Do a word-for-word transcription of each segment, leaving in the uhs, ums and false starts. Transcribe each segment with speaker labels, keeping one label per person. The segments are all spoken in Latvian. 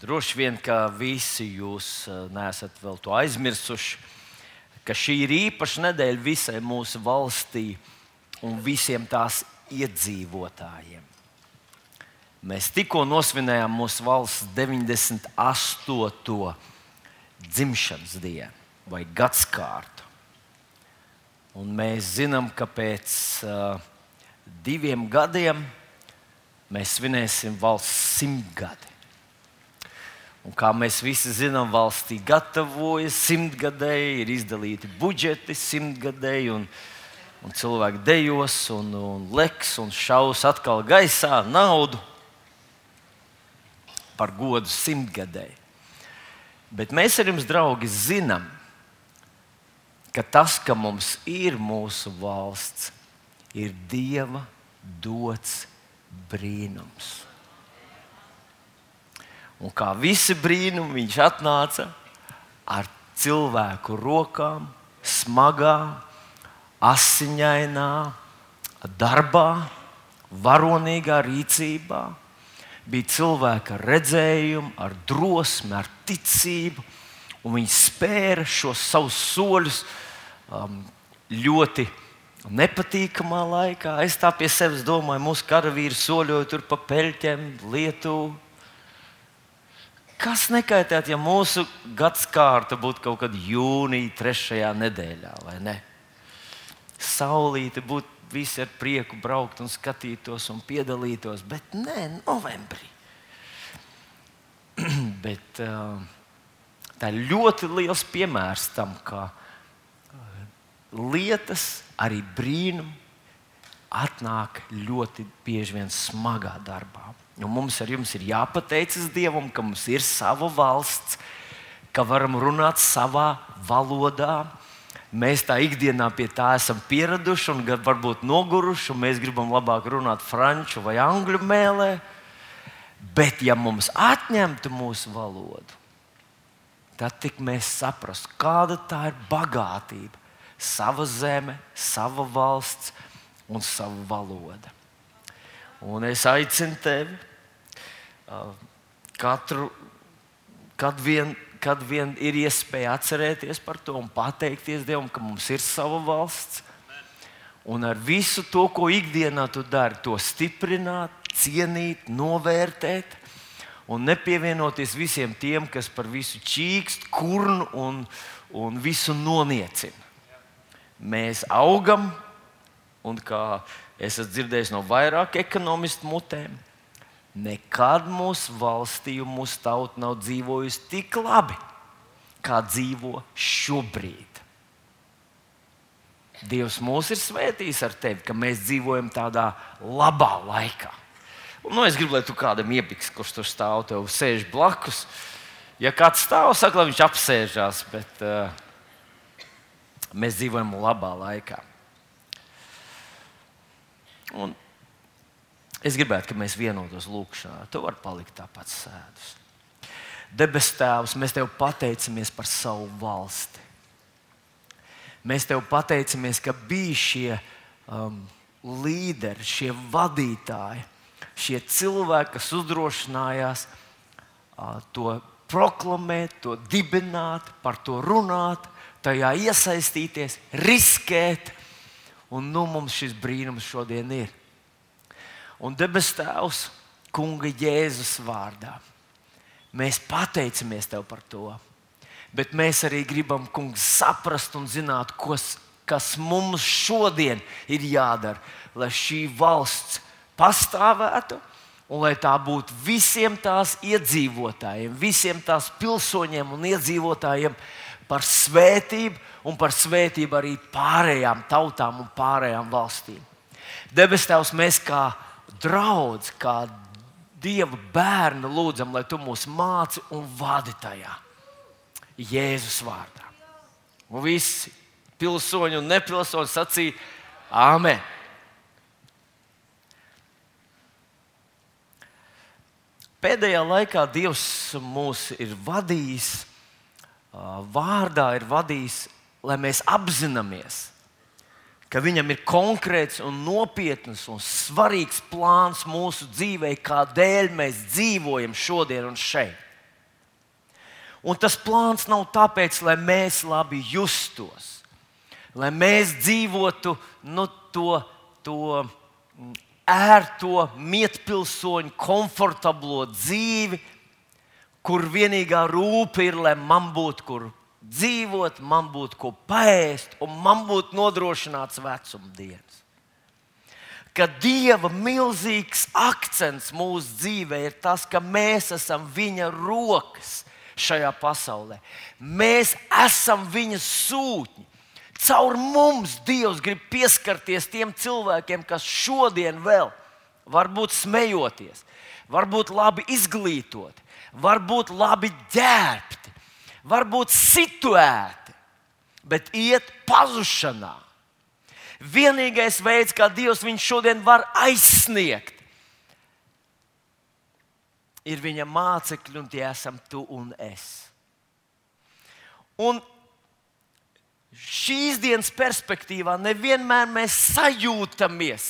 Speaker 1: Droši vien, ka visi jūs neesat vēl to aizmirsuši, ka šī ir īpaša nedēļa visai mūsu valstī un visiem tās iedzīvotājiem. Mēs tikko nosvinējām mūsu valsts deviņdesmit astoto dzimšanas dienu vai gadskārtu. Un mēs zinām, ka pēc uh, diviem gadiem mēs svinēsim valsts simtgadi. Un kā mēs visi zinām, valstī gatavojas simtgadēji, ir izdalīti budžeti simtgadēji, un, un cilvēki dejos, un, un leks un šaus atkal gaisā naudu par godu simtgadēji. Bet mēs ar jums, draugi, zinām, ka tas, ka mums ir mūsu valsts, ir Dieva dots brīnums. Un kā visi brīnumi, viņš atnāca ar cilvēku rokām, smagā, asiņainā darbā, varonīgā rīcībā. Bija cilvēka redzējumi, ar drosmi, ar ticību, un viņi spēra šos savus soļus um, ļoti nepatīkamā laikā. Es tā pie sevis domāju, mūsu karavīri soļoja tur pa peļķiem, Lietuvu. Kas nekaitētu, ja mūsu gadskārta būtu kaut kad jūnija trešajā nedēļā, vai ne? Saulīte būtu visi ar prieku braukt un skatītos un piedalītos, bet nē, novembrī. bet uh, tā ir ļoti liels piemērs tam, ka lietas, arī brīnumi, atnāk ļoti bieži vien smagā darbā. Un mums ar jums ir jāpateicas Dievam, ka mums ir sava valsts, ka varam runāt savā valodā. Mēs tā ikdienā pie tā esam pieraduši un varbūt noguruši, un mēs gribam labāk runāt franču vai angļu mēlē. Bet ja mums atņemtu mūsu valodu, tad tik mēs saprastu, kāda tā ir bagātība. Sava zeme, sava valsts un sava valoda. Un es aicinu tevi katru, kad vien, kad vien ir iespēja atcerēties par to un pateikties Dievam, ka mums ir sava valsts. Un ar visu to, ko ikdienā tu dari, to stiprināt, cienīt, novērtēt un nepievienoties visiem tiem, kas par visu čīkst, kurnu un, un visu noniecina. Mēs augam, un kā es esmu dzirdējis no vairāk ekonomistu mutēm, nekad mūsu valstī un mūsu tauta nav dzīvojusi tik labi, kā dzīvo šobrīd. Dievs mūs ir svētījis ar tevi, ka mēs dzīvojam tādā labā laikā. Un, nu, es gribu, lai tu kādam iepiks, kurš tur stāv, tev sēž blakus. Ja kāds stāv, saka, lai viņš apsēžās, bet uh, mēs dzīvojam labā laikā. Un es gribētu, ka mēs vienotos lūkšanā. Tu vari palikt tāpat sēdus. Debes Tēvs, mēs Tev pateicamies par savu valsti. Mēs Tev pateicamies, ka bija šie um, līderi, šie vadītāji, šie cilvēki, kas uzdrošinājās uh, to proklamēt, to dibināt, par to runāt, tajā iesaistīties, riskēt. Un nu mums šis brīnums šodien ir. Un debes Tēvs, Kunga Jēzus vārdā, mēs pateicamies Tev par to. Bet mēs arī gribam, Kungs, saprast un zināt, kas, kas mums šodien ir jādara, lai šī valsts pastāvētu un lai tā būtu visiem tās iedzīvotājiem, visiem tās pilsoņiem un iedzīvotājiem par svētību un par svētību arī pārējām tautām un pārējām valstīm. Debes Tēvs, mēs kā draudz, kā Dieva bērni lūdzam, lai Tu mūs māci un vadi tajā. Jēzus vārdā. Un visi pilsoņi un nepilsoņi sacīja Āmen. Pēdējā laikā Dievs mūs ir vadījis, vārdā ir vadījis, lai mēs apzināmies, ka Viņam ir konkrēts un nopietns un svarīgs plāns mūsu dzīvē, kādēļ mēs dzīvojam šodien un šeit. Un tas plāns nav tāpēc, lai mēs labi justos, lai mēs dzīvotu nu, to, to ērto, mietpilsoņu, komfortablo dzīvi, kur vienīgā rūpe ir, lai man būtu kur dzīvot, man būtu ko paēst un man būtu nodrošināts vecumdienas. Ka Dieva milzīgs akcents mūsu dzīvē ir tas, ka mēs esam viņa rokas šajā pasaulē. Mēs esam viņa sūtņi. Caur mums Dievs grib pieskarties tiem cilvēkiem, kas šodien vēl varbūt smejoties, varbūt labi izglītoti, varbūt labi ģērbti, varbūt situēti, bet iet pazušanā. Vienīgais veids, kā Dievs viņu šodien var aizsniegt, ir viņa mācekļi, un tie esam tu un es. Un šīs dienas perspektīvā nevienmēr mēs sajūtamies,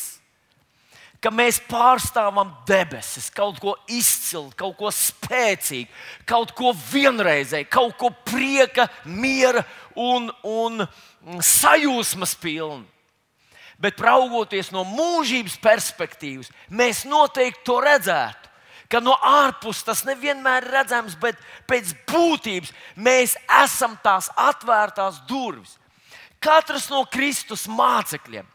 Speaker 1: ka mēs pārstāvam debesis, kaut ko izcilu, kaut ko spēcīgu, kaut ko vienreizēju, kaut ko prieka, miera un, un sajūsmas pilnu. Bet raugoties no mūžības perspektīvas, mēs noteikti to redzētu. Ka no ārpuses tas nevienmēr ir redzams, bet pēc būtības mēs esam tās atvērtās durvis. Katrs no Kristus mācekļiem,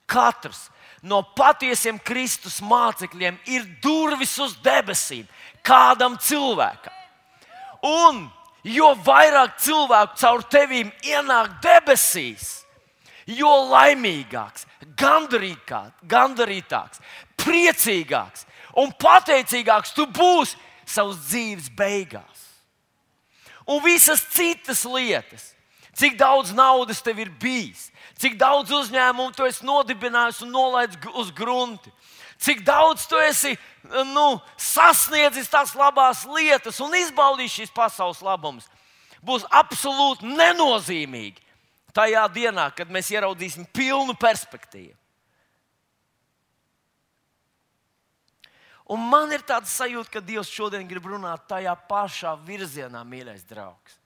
Speaker 1: katrs no patiesiem Kristus mācekļiem ir durvis uz debesīm kādam cilvēkam. Un jo vairāk cilvēku caur tevīm ienāk debesīs, jo laimīgāks, gandarītāks, priecīgāks un pateicīgāks tu būsi savas dzīves beigās. Un visas citas lietas, cik daudz naudas tev ir bijis, cik daudz uzņēmumu tu esi nodibinājis un nolaidis uz grunti, cik daudz tu esi nu, sasniedzis tās labās lietas un izbaudījis šīs pasaules labumus, būs absolūti nenozīmīgi tajā dienā, kad mēs ieraudzīsim pilnu perspektīvu. Un man ir tāds sajūta, ka Dievs šodien grib runāt tajā pašā virzienā, mīļais draugs.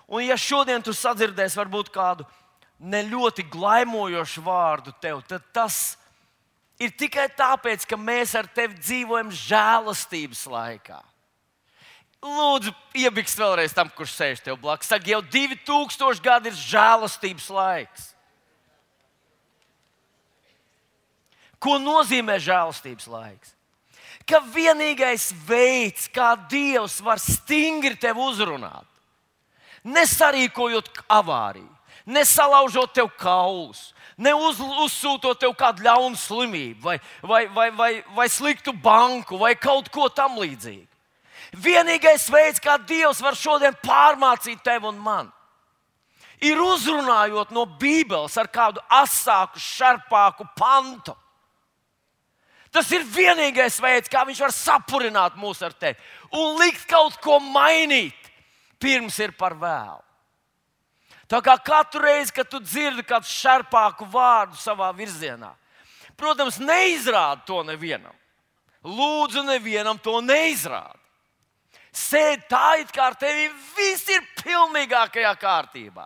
Speaker 1: Un ja šodien tu sadzirdēsi varbūt kādu ne ļoti glaimojošu vārdu tev, tad tas ir tikai tāpēc, ka mēs ar tevi dzīvojam žēlastības laikā. Lūdzu, iebikst vēlreiz tam, kurš sēž tev blakus. Saka, jau divi tūkstoši gadi ir žēlastības laiks. Ko nozīmē žēlastības laiks? Ka vienīgais veids, kā Dievs var stingri tevi uzrunāt, nesarīkojot avāriju, nesalaužot tev kaulus, ne uz, uzsūtot tev kādu ļaunu slimību, vai, vai, vai, vai, vai sliktu banku, vai kaut ko tam līdzīgu. Vienīgais veids, kā Dievs var šodien pārmācīt tevi un mani, ir uzrunājot no Bībeles ar kādu asāku, šarpāku pantu. Tas ir vienīgais veids, kā viņš var sapurināt mūs ar tevi un likt kaut ko mainīt, pirms ir par vēlu. Tā kā katru reizi, kad tu dzirdi kādu šarpāku vārdu savā virzienā, protams, neizrādi to nevienam. Lūdzu, nevienam to neizrādi. Sēdi tā, it kā ar tevi viss ir pilnīgākajā kārtībā.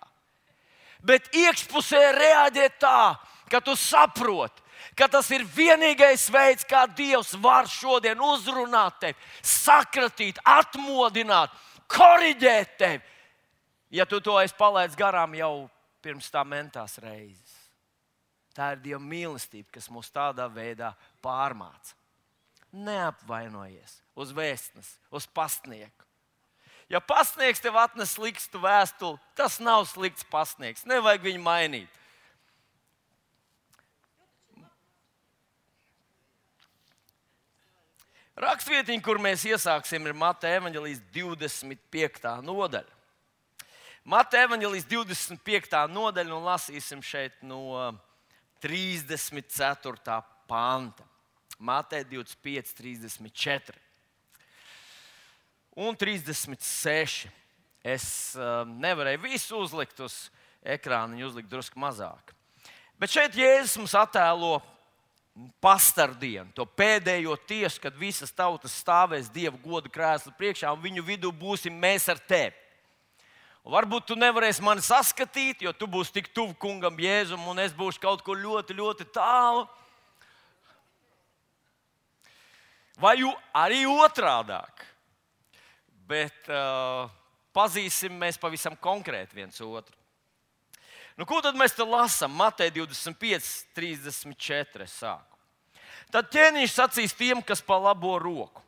Speaker 1: Bet iekšpusē reaģē tā, ka tu saproti, ka tas ir vienīgais veids, kā Dievs var šodien uzrunāt tevi, sakratīt, atmodināt, koriģēt tevi, ja tu to esi palaidis garām jau pirms tā mentās reizes. Tā ir Dieva mīlestība, kas mūs tādā veidā pārmāca. Neapvainojies uz vēstnesi, uz pastnieku. Ja pastnieks tev atnes sliktu vēstuli, tas nav slikts pastnieks. Nevajag viņu mainīt. Rakstvietiņa, kur mēs iesāksim, ir Mateja evaņģēlijas divdesmit piektā nodaļa. Mateja evaņģēlijas divdesmit piektā nodaļa, un lasīsim šeit no trīsdesmit ceturtā panta. Mateja divdesmit pieci, trīsdesmit četri un trīsdesmit seši. Es uh, nevarēju visu uzlikt uz ekrāna, viņu uzlikt drusku mazāk. Bet šeit Jēzus mums attēlo pastardienu, to pēdējo tiesu, kad visas tautas stāvēs Dieva goda krēsla priekšā, un viņu vidū būsim mēs ar tevi. Un varbūt tu nevarēsi mani saskatīt, jo tu būsi tik tuvu kungam Jēzum, un es būšu kaut kur ļoti, ļoti tālu. Vai arī otrādāk. Bet uh, pazīsim mēs pavisam konkrēti viens otru. Nu, ko tad mēs te lasām? Mateja divdesmit pieci, trīsdesmit četri sāku. Tad ķēniņš sacīs tiem, kas pa labo roku: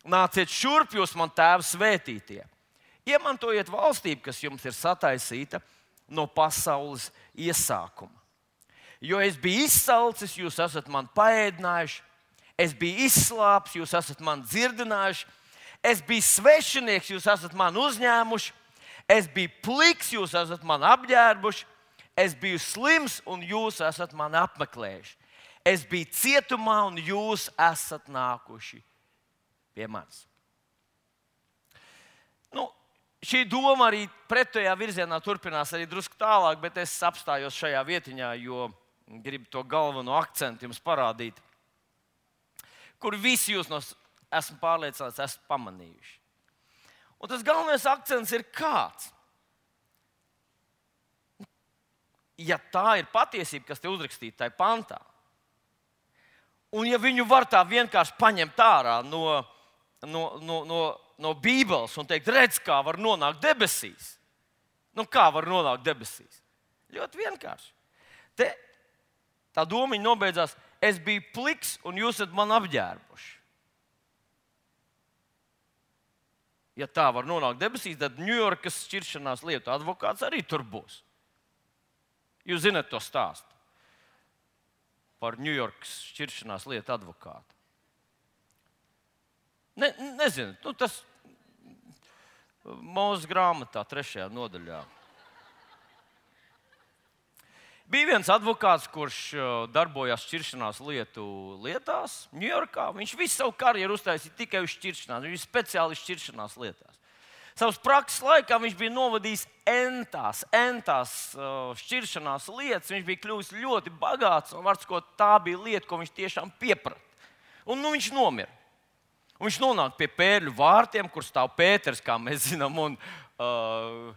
Speaker 1: nāciet šurp, jūs man tēva svētītie. Iemantojiet valstību, kas jums ir sataisīta no pasaules iesākuma. Jo es biju izsalcis, jūs esat man paēdinājuši, es biju izslāpis, jūs esat man dzirdinājuši, es biju svešinieks, jūs esat man uzņēmuši, es biju pliks, jūs esat man apģērbuši, es biju slims un jūs esat man apmeklējuši. Es biju cietumā un jūs esat nākuši pie manis. Nu, šī doma arī pretējā virzienā turpinās arī drusku tālāk, bet es apstājos šajā vietiņā, jo gribu to galveno akcentu jums parādīt, kur visi jūs, no, esmu pārliecināts, esat pamanījuši. Un tas galvenais akcents ir kāds? Ja tā ir patiesība, kas te uzrakstīta tajā pantā, un ja viņu var tā vienkārši paņemt ārā no, no, no, no, no Bībeles un teikt, redz, kā var nonākt debesīs. Nu, kā var nonākt debesīs? Ļoti vienkārši. Te tā domiņa nobeidzās, es biju pliks un jūs esat man apģērbuši. Ja tā var nonākt debesīs, tad Ņujorkas šķiršanās lietu advokāts arī tur būs. Jūs zināt to stāstu par Ņujorkas šķiršanās lietu advokātu. Ne, nezinu, nu tas Mūzes grāmatā, trešajā nodaļā. Bija viens advokāts, kurš darbojās šķiršanās lietu lietās Ņujorkā. Viņš visu savu karjeru uztaisīja tikai uz šķiršanās. Viņš bija speciālists šķiršanās lietās. Savas prakses laikā viņš bija novadījis entās, entās uh, šķiršanās lietas. Viņš bija kļuvis ļoti bagāts, un var sakot, tā bija lieta, ko viņš tiešām pieprata. Un nu, viņš nomira. Un viņš nonāk pie Pērļu vārtiem, kur stāv Pēters, kā mēs zinām, un uh,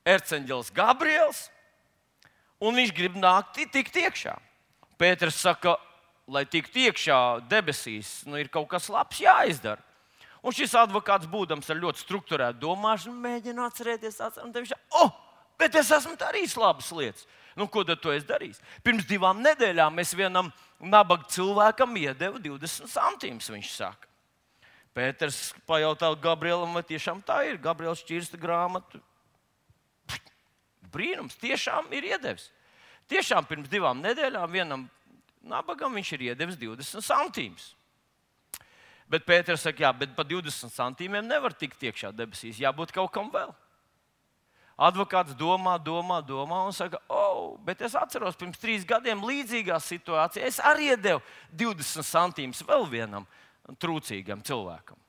Speaker 1: erceņģelis Gabriels. Un viņš grib nākt, tikt iekšā. Pēters saka, lai tiktu iekšā debesīs, nu, ir kaut kas labs jāizdara. Un šis advokāts, būdams ar ļoti strukturētu domāšanu, mēģina atcerēties, atcerēties, viņš saka, oh, bet es esmu darījis labas lietas. Nu, ko tad to es darīju? Pirms divām nedēļām es vienam nabaga cilvēkam iedevu divdesmit centīmus, viņš saka. Pēters pajautā Gabrielam, vai tiešām tā ir. Gabriels šķirsta grāmatu. Brīnums, tiešām ir iedevis. Tiešām pirms divām nedēļām vienam nabagam viņš ir iedevis divdesmit centīmus. Bet Pēters saka, jā, bet par divdesmit centīmiem nevar tikt iekšā debesīs. Jābūt kaut kam vēl. Advokāts domā, domā, domā un saka, oh, bet es atceros, pirms trīs gadiem līdzīgā situācijā es arī iedevu divdesmit centīmus vēl vienam trūcīgam cilvēkam.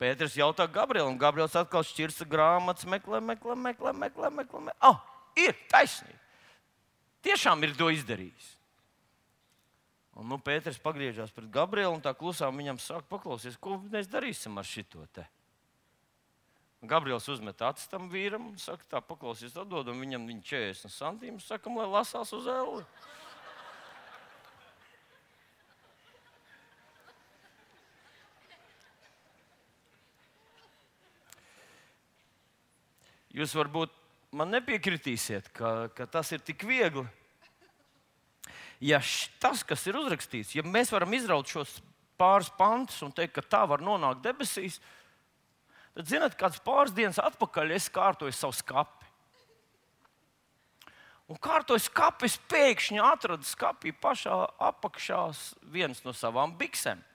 Speaker 1: Pēters jautā Gabrielam, un Gabriels atkal šķirsta grāmatas, meklē, meklē, meklē, meklē, meklē. meklē. Oh, ir taisnība. Tiešām ir to izdarījis. Un nu, Pēters pagriežās pret Gabrielu un tā klusām viņam saka, paklausies, ko mēs darīsim ar šito te. Gabriels uzmet acis tam vīram un saka, tā paklausies, atdodam viņam viņa četrdesmit centīmus, sakam, lai lasās uz elli. Jūs varbūt man nepiekritīsiet, ka, ka tas ir tik viegli. Ja tas, kas ir uzrakstīts, ja mēs varam izraut šos pāris pantus un teikt, ka tā var nonākt debesīs, tad, zināt, kāds pāris dienas atpakaļ es kārtoju savu skapi. Un kārtoju skapi, es pēkšņi atradu skapī pašā apakšā viens no savām biksēm.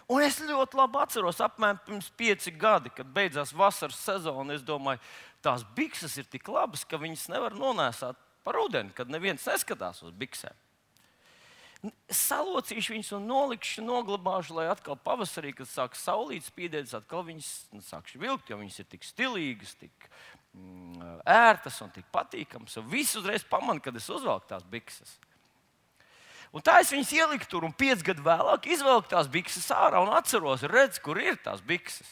Speaker 1: Un es ļoti labi atceros, apmēram pirms pieci gadi, kad beidzās vasaras sezona, es domāju, tās bikses ir tik labas, ka viņas nevar nonēsāt par ūdeni, kad neviens neskatās uz biksēm. Salocīšu viņus un nolikšu, noglabāšu, lai atkal pavasarī, kad sāk saulīt spīdēt, atkal viņas sākšu vilkt, jo viņas ir tik stilīgas, tik mm, ērtas un tik patīkamas. Un viss uzreiz pamana, kad es uzvelku tās bikses. Un tā es viņas ieliku tur, un pieci gadu vēlāk izvelku tās bikses ārā un atceros, redzu, kur ir tās bikses.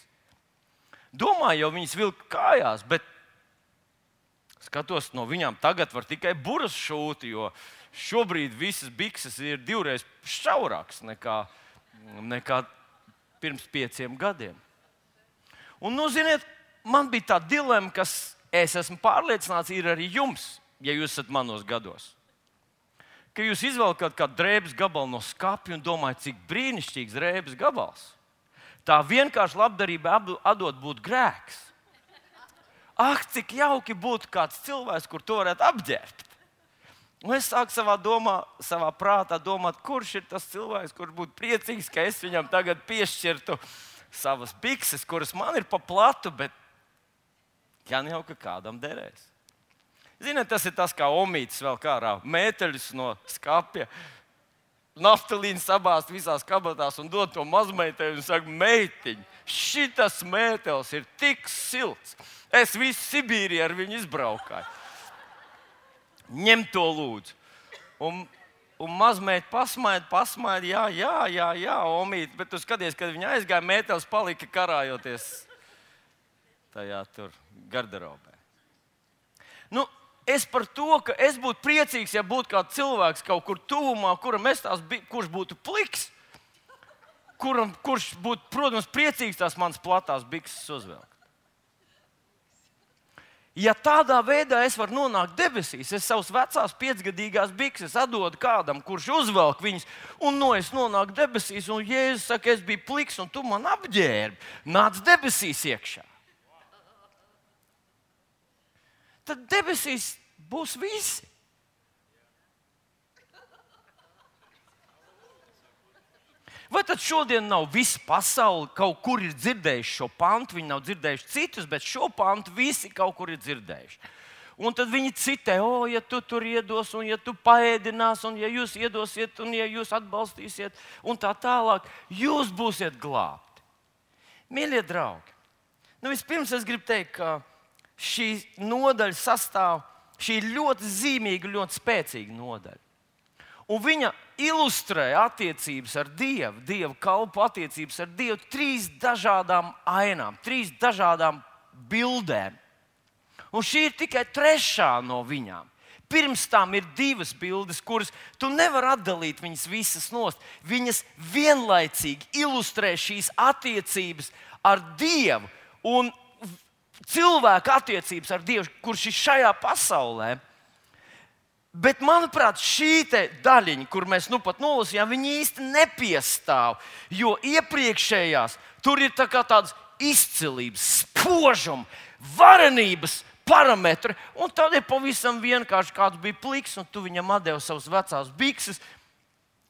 Speaker 1: Domāju, jau viņas vilka kājās, bet skatos, no viņām tagad var tikai buras šūti, jo šobrīd visas bikses ir divreiz šaurākas nekā, nekā pirms pieciem gadiem. Un, nu, ziniet, man bija tā dilemma, kas, es esmu pārliecināts, ir arī jums, ja jūs esat manos gados. Ka jūs izvelkat kādu drēbes gabalu no skapja un domājat, cik brīnišķīgs drēbes gabals. Tā vienkārši labdarība atdot būtu grēks. Ak, cik jauki būtu kāds cilvēks, kur to varētu apģērbt. Un es sāku savā, domā, savā prātā domāt, kurš ir tas cilvēks, kurš būtu priecīgs, ka es viņam tagad piešķirtu savas bikses, kuras man ir pa platu, bet gan jau, ka kādam derēs. Ziniet, tas ir tas, kā omītis vēl kārā mēteļus no skapja, naftalīnu sabāzt visās kabatās un dod to mazmeitai un saka, meitiņ, šitas mētelis ir tik silts. Es visu Sibīriju ar viņu izbraukāju. Ņem to lūdzu. Un, un mazmeita pasmaida, pasmaida, jā, jā, jā, jā, omīt, bet tu skaties, kad viņa aizgāja, mētelis palika karājoties tajā tur garderobē. Nu, es par to, ka es būtu priecīgs, ja būtu kāds cilvēks kaut kur tuvumā, kuram es tās, kurš būtu pliks, kuram, kurš būtu, protams, priecīgs tās manas platās bikses uzvelkt. Ja tādā veidā es varu nonākt debesīs, es savus vecās piecgadīgās bikses atdodu kādam, kurš uzvelk viņas, un no es nonāku debesīs, un Jēzus saka, es biju pliks, un tu man apģērbi, nāc debesīs iekšā. Tad debesīs būs visi. Vai tad šodien nav visa pasaule, kaut kur ir dzirdējuši šo pantu, viņi nav dzirdējuši citus, bet šo pantu visi kaut kur ir dzirdējuši. Un tad viņi citē, o, ja tu tur iedos, un ja tu paēdinās, un ja jūs iedosiet, un ja jūs atbalstīsiet, un tā tālāk, jūs būsiet glābti. Mīļie draugi, nu vispirms es gribu teikt, ka šī nodaļa sastāv, šī ir ļoti zīmīga, ļoti spēcīga nodaļa. Un viņa ilustrē attiecības ar Dievu, Dieva kalpu attiecības ar Dievu trīs dažādām ainām, trīs dažādām bildēm. Un šī ir tikai trešā no viņām. Pirms tam ir divas bildes, kuras tu nevari atdalīt viņas visas nost. Viņas vienlaicīgi ilustrē šīs attiecības ar Dievu un cilvēku attiecības ar Dievu, kurš ir šajā pasaulē. Bet, manuprāt, šī daļiņa, kur mēs nu pat nolasījām, viņa īsti nepiestāv. Jo iepriekšējās tur ir tā kā tādas izcilības, spožuma, varenības parametri. Un tad ir pavisam vienkārši kāds bija pliks, un tu viņam atdevi savas vecās bikses.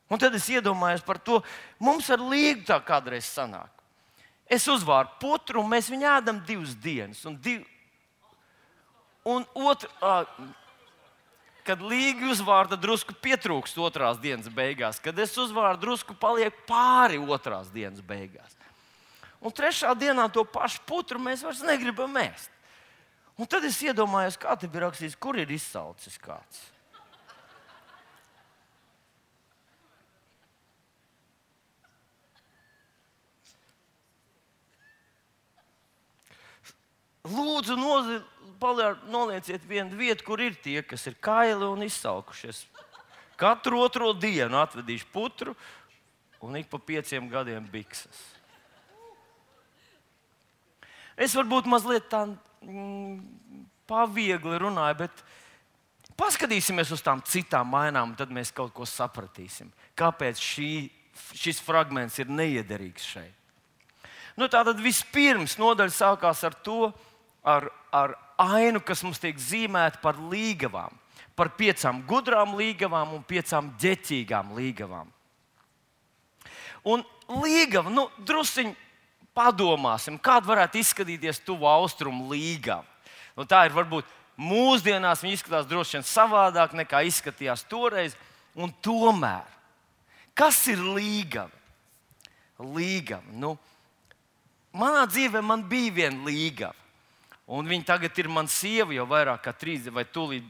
Speaker 1: Un tad es iedomājos par to, mums ar Līgu tā kādreiz sanāk. Es uzvāru putru, un mēs viņu ēdam divas dienas. Un, div... un otru... Uh, Kad Līga uzvāra, tad drusku pietrūkst otrās dienas beigās. Kad es uzvāru, drusku paliek pāri otrās dienas beigās. Un trešā dienā to pašu putru mēs vairs negribam ēst. Un tad es iedomājos, kā te bija rakstīts, kur ir izsalcis kāds. Lūdzu, nozi, nolieciet vienu vietu, kur ir tie, kas ir kaili un izsalkušies. Katru otro dienu atvedīšu putru un ik pa pieciem gadiem bikses. Es varbūt mazliet tā mm, paviegli runāju, bet paskatīsimies uz tām citām ainām, tad mēs kaut ko sapratīsim. Kāpēc šī, šis fragments ir neiederīgs šeit? Nu, tātad vispirms nodaļa sākās ar to, Ar, ar ainu, kas mums tiek zīmēta par līgavām, par piecām gudrām līgavām un piecām ģeķīgām līgavām. Un līgava, nu, drusciņ padomāsim, kāda varētu izskatīties tuvu austrumu līgava. Nu, tā ir varbūt mūsdienās, viņa izskatās droši vien savādāk nekā izskatījās toreiz, un tomēr, kas ir līgava? Līgava, nu, manā dzīvē man bija viena līgava. Un viņa tagad ir mana sieva jau vairāk kā trīs, vai tūlīt,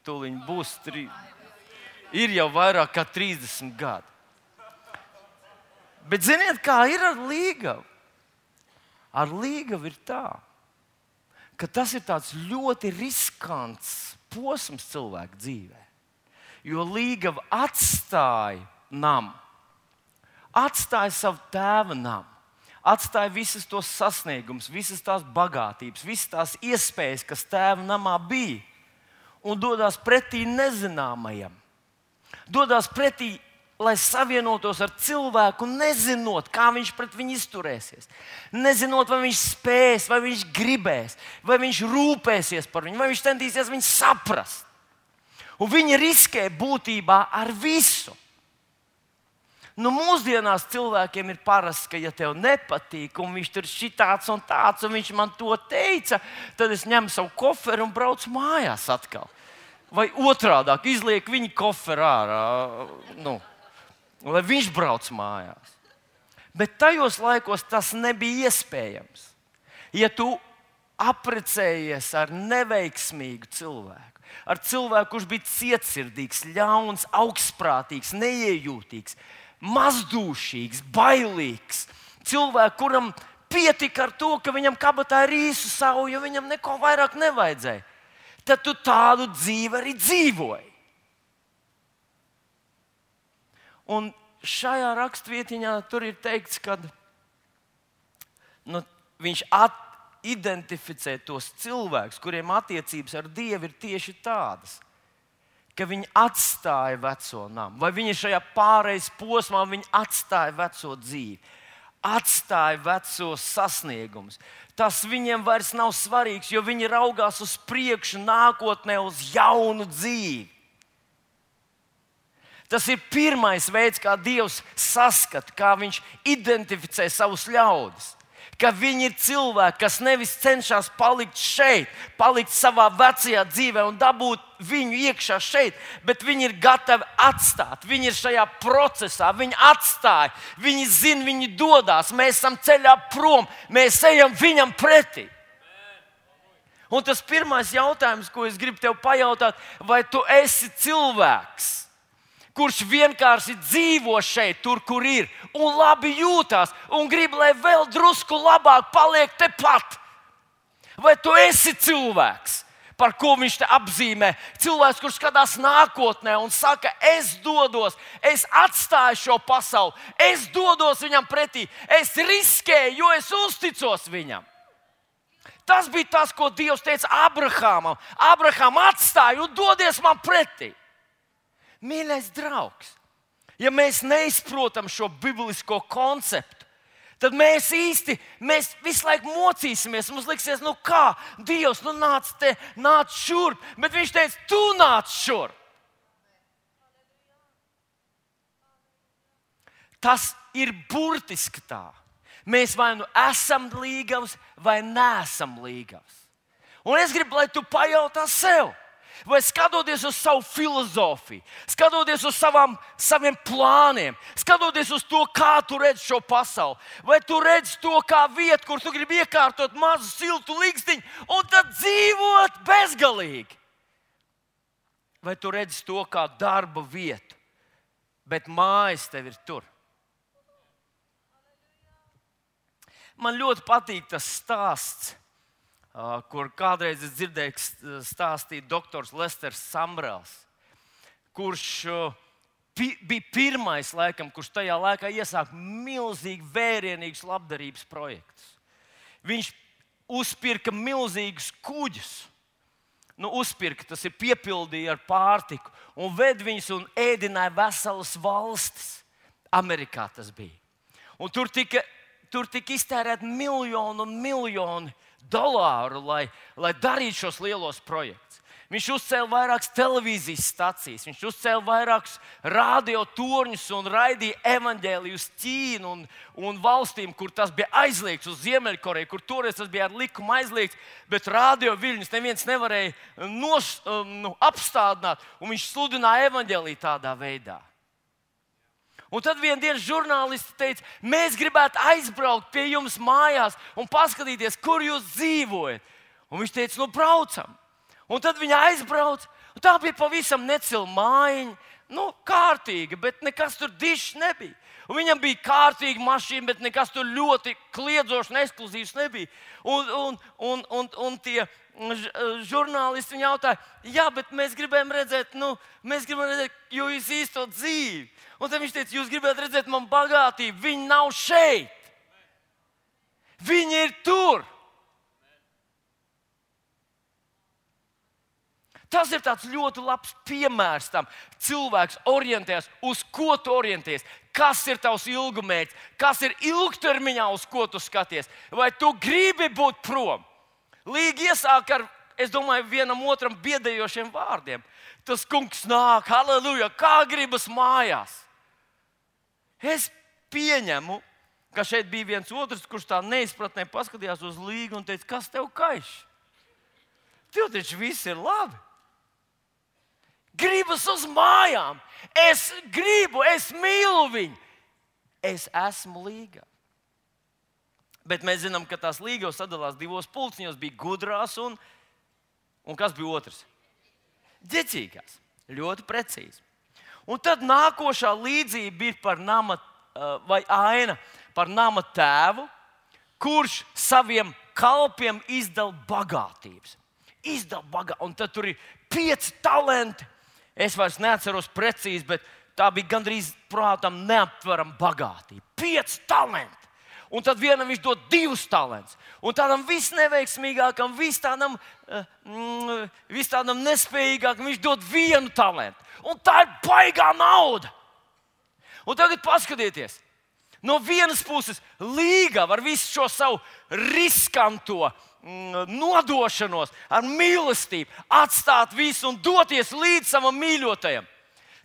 Speaker 1: tūlīt būs trīs. Ir jau vairāk kā trīsdesmit gadi. Bet ziniet, kā ir ar līgavu? Ar līgavu ir tā, ka tas ir tāds ļoti riskants posms cilvēka dzīvē. Jo līgava atstāja namu, atstāja savu tēva namu, atstāja visas tos sasniegumus, visas tās bagātības, visas tās iespējas, kas tēva namā bija, un dodas pretī nezināmajam. Dodas pretī, lai savienotos ar cilvēku, nezinot, kā viņš pret viņu izturēsies. Nezinot, vai viņš spēs, vai viņš gribēs, vai viņš rūpēsies par viņu, vai viņš centīsies viņu saprast. Un viņi riskē būtībā ar visu. Nu, mūsdienās cilvēkiem ir parasts, ka, ja tev nepatīk, un viņš tur ir šitāds un tāds, un viņš man to teica, tad es ņemu savu koferu un braucu mājās atkal. Vai otrādāk, izliek viņa koferu ārā, nu, lai viņš brauc mājās. Bet tajos laikos tas nebija iespējams. Ja tu apprecējies ar neveiksmīgu cilvēku, ar cilvēku, kurš bija cietsirdīgs, ļauns, augstprātīgs, neiejūtīgs, mazdūšīgs, bailīgs, cilvēku, kuram pietika ar to, ka viņam kabatā ir īsu savu, jo viņam neko vairāk nevajadzēja, tad tu tādu dzīvi arī dzīvoji. Un šajā rakstvietiņā tur ir teikts, ka nu, viņš at, identificē tos cilvēkus, kuriem attiecības ar Dievu ir tieši tādas, ka viņi atstāja veco namu, vai viņi šajā pārejas posmā viņi atstāja veco dzīvi, atstāja vecos sasniegumus. Tas viņiem vairs nav svarīgs, jo viņi raugās uz priekšu, nākotnē, uz jaunu dzīvi. Tas ir pirmais veids, kā Dievs saskata, kā viņš identificē savus ļaudis. Ka viņi ir cilvēki, kas nevis cenšas palikt šeit, palikt savā vecajā dzīvē un dabūt viņu iekšā šeit, bet viņi ir gatavi atstāt. Viņi ir šajā procesā, viņi atstāja, viņi zina, viņi dodas, mēs esam ceļā prom, mēs ejam viņam pretī. Un tas pirmais jautājums, ko es gribu tev pajautāt, vai tu esi cilvēks, kurš vienkārši dzīvo šeit, tur, kur ir, un labi jūtās, un grib, lai vēl drusku labāk paliek tepat. Vai tu esi cilvēks, par ko viņš te apzīmē? Cilvēks, kurš skatās nākotnē un saka, es dodos, es atstāju šo pasauli, es dodos viņam pretī, es riskēju, jo es uzticos viņam. Tas bija tas, ko Dievs teica Abrahamam. Abraham atstāja un dodies man pretī. Mīļais draugs, ja mēs neizprotam šo biblisko konceptu, tad mēs īsti, mēs visu laiku mocīsimies. Mums liksies, nu kā, Dievs, nu nāc te, nāc šurp. Bet viņš teica, tu nāc šurp. Tas ir burtiski tā. Mēs vai nu esam līgavs, vai neesam līgavs. Un es gribu, lai tu pajautā sev. Vai skatoties uz savu filozofiju, skatoties uz savām, saviem plāniem, skatoties uz to, kā tu redzi šo pasauli, vai tu redzi to kā vietu, kur tu gribi iekārtot mazu siltu likstiņu un tad dzīvot bezgalīgi? Vai tu redzi to kā darba vietu, bet mājas tev ir tur? Man ļoti patīk tas stāsts, Uh, kur kādreiz es dzirdēju stāstīt doktors Lesters Sambrels, kurš uh, pi, bija pirmais, laikam, kurš tajā laikā iesāka milzīgi vērienīgus labdarības projektus. Viņš uzpirka milzīgus kuģus. Nu, uzpirka, tas ir piepildīja ar pārtiku un ved viņus un ēdināja veselas valstis. Amerikā tas bija. Un tur tika, tur tika iztērēt miljonu un miljoni dolāru, lai, lai darītu šos lielos projektus. Viņš uzcēla vairākas televīzijas stacijas, viņš uzcēla vairākus radiotorņus un raidīja evaņģēliju uz Ķīnu un, un valstīm, kur tas bija aizliegts, uz Ziemeļkoreju, kur toreiz tas bija ar likumu aizliegts, bet radio viļņus neviens nevarēja nos, nu, apstādināt, un viņš sludināja evaņģēliju tādā veidā. Un tad vienā dienā žurnālisti teica, mēs gribētu aizbraukt pie jums mājās un paskatīties, kur jūs dzīvojat. Un viņš teica, nu braucam. Un tad viņi aizbrauca. Un tā bija pavisam necila mājiņa, nu, kārtīga, bet nekas tur dišs nebija. Un viņam bija kārtīga mašīna, bet nekas tur ļoti kliedzošs un ekskluzīvs nebija. Un, un, un, un, un tie žurnālisti viņu jautāja, jā, bet mēs gribējām redzēt, nu, mēs gribējām redzēt, jo jūs īsto dzīvi. Un tad viņš teica, jūs gribētu redzēt man bagātību, viņi nav šeit. Viņi ir tur. Tas ir tāds ļoti labs piemērs tam. Cilvēks orientējas, uz ko tu orientējies, kas ir tavs ilgumērķis, kas ir ilgtermiņā, uz ko tu skaties. Vai tu gribi būt prom? Līgi iesāk ar, es domāju, vienam otram biedējošiem vārdiem. Tas kungs nāk, halleluja, kā gribas mājās. Es pieņemu, ka šeit bija viens otrs, kurš tā neizpratnē paskatījās uz Līgu un teica, kas tev kaiš? Tev taču viss ir labi. Gribas uz mājām. Es gribu, es mīlu viņu. Es esmu Līga. Bet mēs zinām, ka tās līgavas sadalās divos pulciņos. Bija gudrās un, un kas bija otrs? Ģecīgās. Ļoti precīzi. Un tad nākošā līdzība ir par nama, vai aina par nama tēvu, kurš saviem kalpiem izdala bagātības. Izdala bagātības. Un tad tur ir pieci talenti. Es vairs neatceros precīzi, bet tā bija gandrīz prātam neaptverama bagātība. Pieci talenti. Un tad vienam viņš dod divus talantus. Un tādam visneveiksmīgākam, vis tādam, mm, vis tādam nespējīgākam viņš dod vienu talantu. Un tā ir baigā nauda. Un tagad paskatieties. No vienas puses līgava ar visu šo savu riskanto nodošanos, ar mīlestību, atstāt visu un doties līdz savam mīļotajam.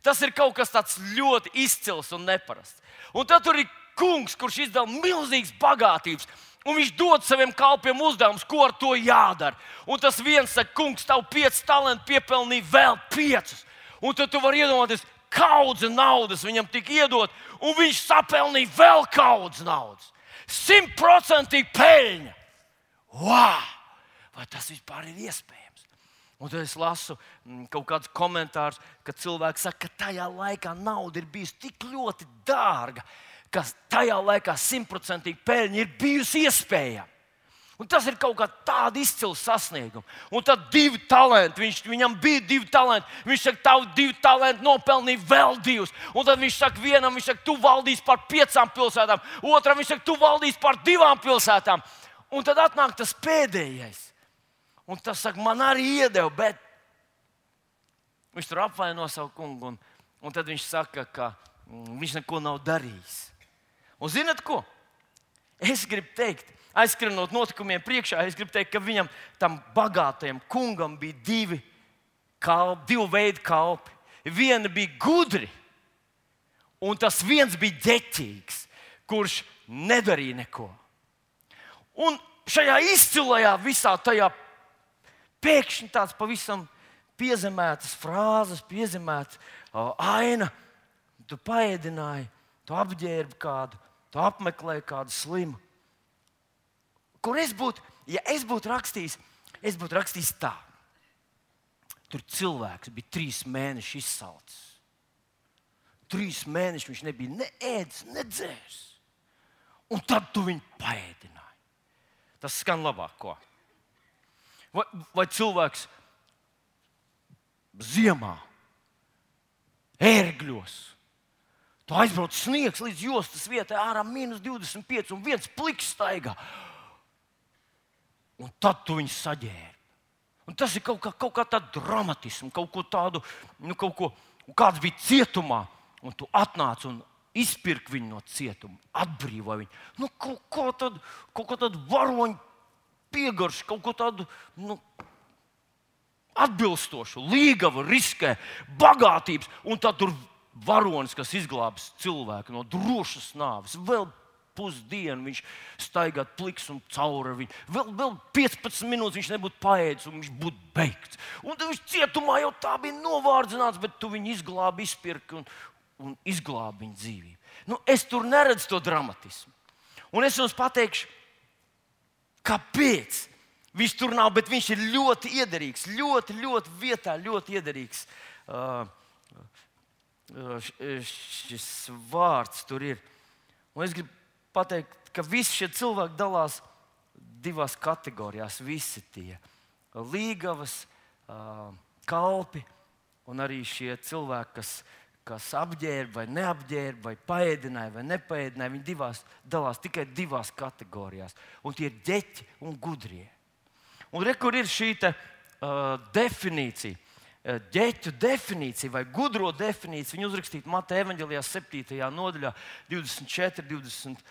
Speaker 1: Tas ir kaut kas tāds ļoti izcils un neparasts. Un tad tur ir kungs, kurš izdala milzīgas bagātības, un viņš dod saviem kalpiem uzdevumus, ko ar to jādara. Un tas viens saka, kungs, tavu pieci talanti piepelnīja vēl piecus. Un tad tu vari iedomāties, kaudze naudas viņam tika iedot, un viņš sapelnīja vēl kaudze naudas. Simtprocentīgi peļņa. Wow! Vai tas vispār ir iespējams? Un tad es lasu kaut kādus komentārus, ka cilvēki saka, ka tajā laikā nauda ir bijusi tik ļoti dārga, ka tajā laikā simtprocentīgi peļņa ir bijusi iespējama. Un tas ir kaut kā tāda izcila sasnieguma. Un tad divi talanti, viņš, viņam bija divi talanti. Viņš saka, tavu divi talanti nopelnīja vēl divus. Un tad viņš saka, vienam, viņš saka, tu valdīsi par piecām pilsētām. Otram viņš saka, tu valdīsi par divām pilsētām. Un tad atnāk tas pēdējais. Un tas saka, man arī iedeva, bet viņš tur apvaino savu kungu. Un, un tad viņš saka, ka mm, viņš neko nav darījis. Un zināt ko? Es gribu teikt, aizskrienot notikumiem priekšā, es gribu teikt, ka viņam, tam bagātajam kungam, bija divi, kalpi, divi veidi kalpi. Viena bija gudri, un tas viens bija ģeķīgs, kurš nedarīja neko. Un šajā izcilajā visā tajā pēkšņi tāds pavisam piezemētas frāzes, piezemētas uh, aina. Tu paēdināji, tu apģērbi kādu, tu apmeklēji kādu slimu. Kur es būtu, ja es būtu rakstījis, es būtu rakstījis tā. Tur cilvēks bija trīs mēneši izsalcis. Trīs mēneši viņš nebija ne ēdis, ne dzērs. Un tad tu viņu paēdināji. Tas skan labāk, ko? Vai, vai cilvēks ziemā, ērgļos, tu aizbrauc sniegs līdz jostas vietai, ārā mīnus divdesmit pieci un viens pliks staigā. Un tad tu viņu saģērbi. Un tas ir kaut kā, kaut kā tāda dramatisma, kaut ko tādu, nu kaut ko, kāds bija cietumā, un tu atnāc un izpirk viņu no cietuma, atbrīvo viņu. Nu, kaut ko tādu, kaut ko tādu varoņu piegaršu, kaut ko tādu, nu, atbilstošu, līgavu, riskē, bagātības, un tad tur varonis, kas izglābs cilvēku no drošas nāves, vēl pusdienu viņš staigāt pliks un cauri viņu. Vēl, vēl piecpadsmit minūtes viņš nebūtu paēdis un viņš būtu beigts. Un tad viņš cietumā jau tā bija novārdzināts, bet tu viņu izglābi, izpirki un, un izglābi viņu dzīvību. Nu, es tur neredzu to dramatismu. Un es jums pateikšu, kāpēc viņš tur nav, bet viņš ir ļoti iederīgs, ļoti, ļoti vietā, ļoti iederīgs uh, šis vārds tur ir. Un es gribu pateikt, ka visi šie cilvēki dalās divās kategorijās. Visi tie līgavas, kalpi un arī šie cilvēki, kas, kas apģērba vai neapģērba, vai paēdināja vai nepaēdināja. Viņi divās, dalās tikai divās kategorijās. Un tie ir ģeķi un gudrie. Un re, kur ir šī te, uh, definīcija, ģeķu definīcija vai gudro definīcija. Viņa uzrakstīta Mateja evaņģelijā septītajā nodaļā, divdesmit četri, divdesmit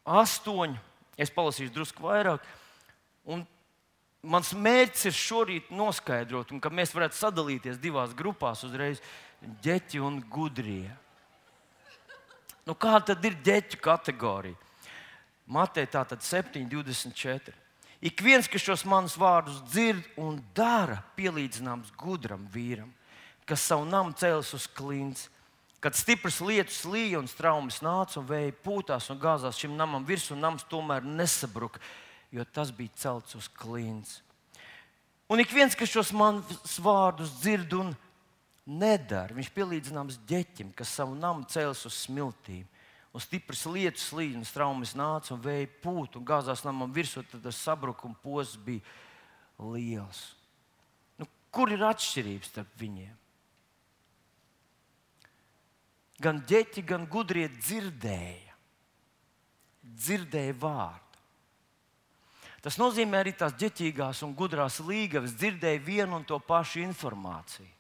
Speaker 1: astoņi. Es palasīšu drusku vairāk. Un mans mērķis ir šorīt noskaidrot, un ka mēs varētu sadalīties divās grupās uzreiz - ģeķi un gudrie. Nu, kā tad ir ģeķu kategorija? Mateja tātad septiņi, divdesmit četri. Ik viens, kas šos manus vārdus dzird un dara, pielīdzināms gudram vīram, kas savu namu cēlis uz klints, kad stipras lietus līja un straumes nāca un vēja pūtās un gāzās šim namam virsū, un nams tomēr nesabruka, jo tas bija celts uz klints. Un ik viens, kas šos manus vārdus dzird un nedara, viņš pielīdzināms ģeķim, kas savu namu cēlis uz smiltīm. Un stipras lietus līja un straumes nāca un vēja pūt un gāzās namam virsū, tad tas sabrukuma posms bija liels. Nu, kur ir atšķirības starp viņiem? Gan ģeķi, gan gudrie dzirdēja. Dzirdēja vārdu. Tas nozīmē, arī tās ģeķīgās un gudrās līgavas dzirdēja vienu un to pašu informāciju.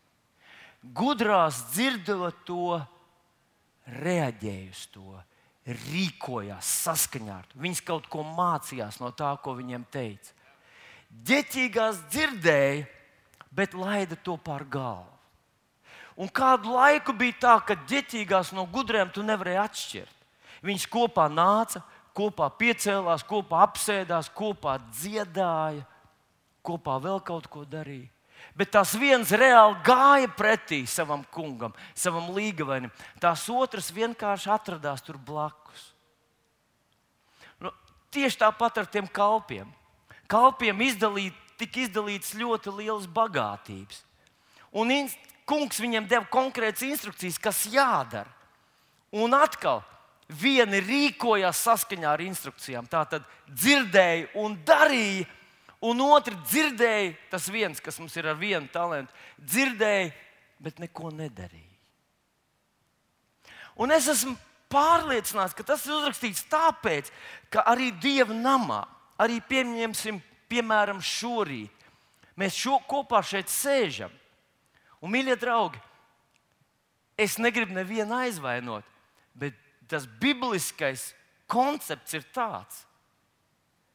Speaker 1: Gudrās dzirdot to, reaģēja uz to, rīkojās saskaņā ar to. Viņas kaut ko mācījās no tā, ko viņiem teica. Ģeķīgās dzirdēja, bet laida to pār galvu. Un kādu laiku bija tā, ka ģeķīgās no gudriem tu nevarēji atšķirt. Viņas kopā nāca, kopā piecēlās, kopā apsēdās, kopā dziedāja, kopā vēl kaut ko darīja. Bet tās viens reāli gāja pretī savam kungam, savam līgavainim. Tās otras vienkārši atradās tur blakus. Nu, tieši tāpat ar tiem kalpiem. Kalpiem izdalīt, tika izdalīts ļoti liels bagātības. Un in, kungs viņiem deva konkrētas instrukcijas, kas jādara. Un atkal vieni rīkojās saskaņā ar instrukcijām. Tā tad dzirdēja un darīja. Un otrs dzirdēja, tas viens, kas mums ir ar vienu talantu, dzirdēja, bet neko nedarīja. Un es esmu pārliecināts, ka tas ir uzrakstīts tāpēc, ka arī Dieva namā, arī pieņemsim, piemēram, šorīt, mēs šo kopā šeit sēžam. Un, mīļie draugi, es negribu nevienu aizvainot, bet tas bibliskais koncepts ir tāds,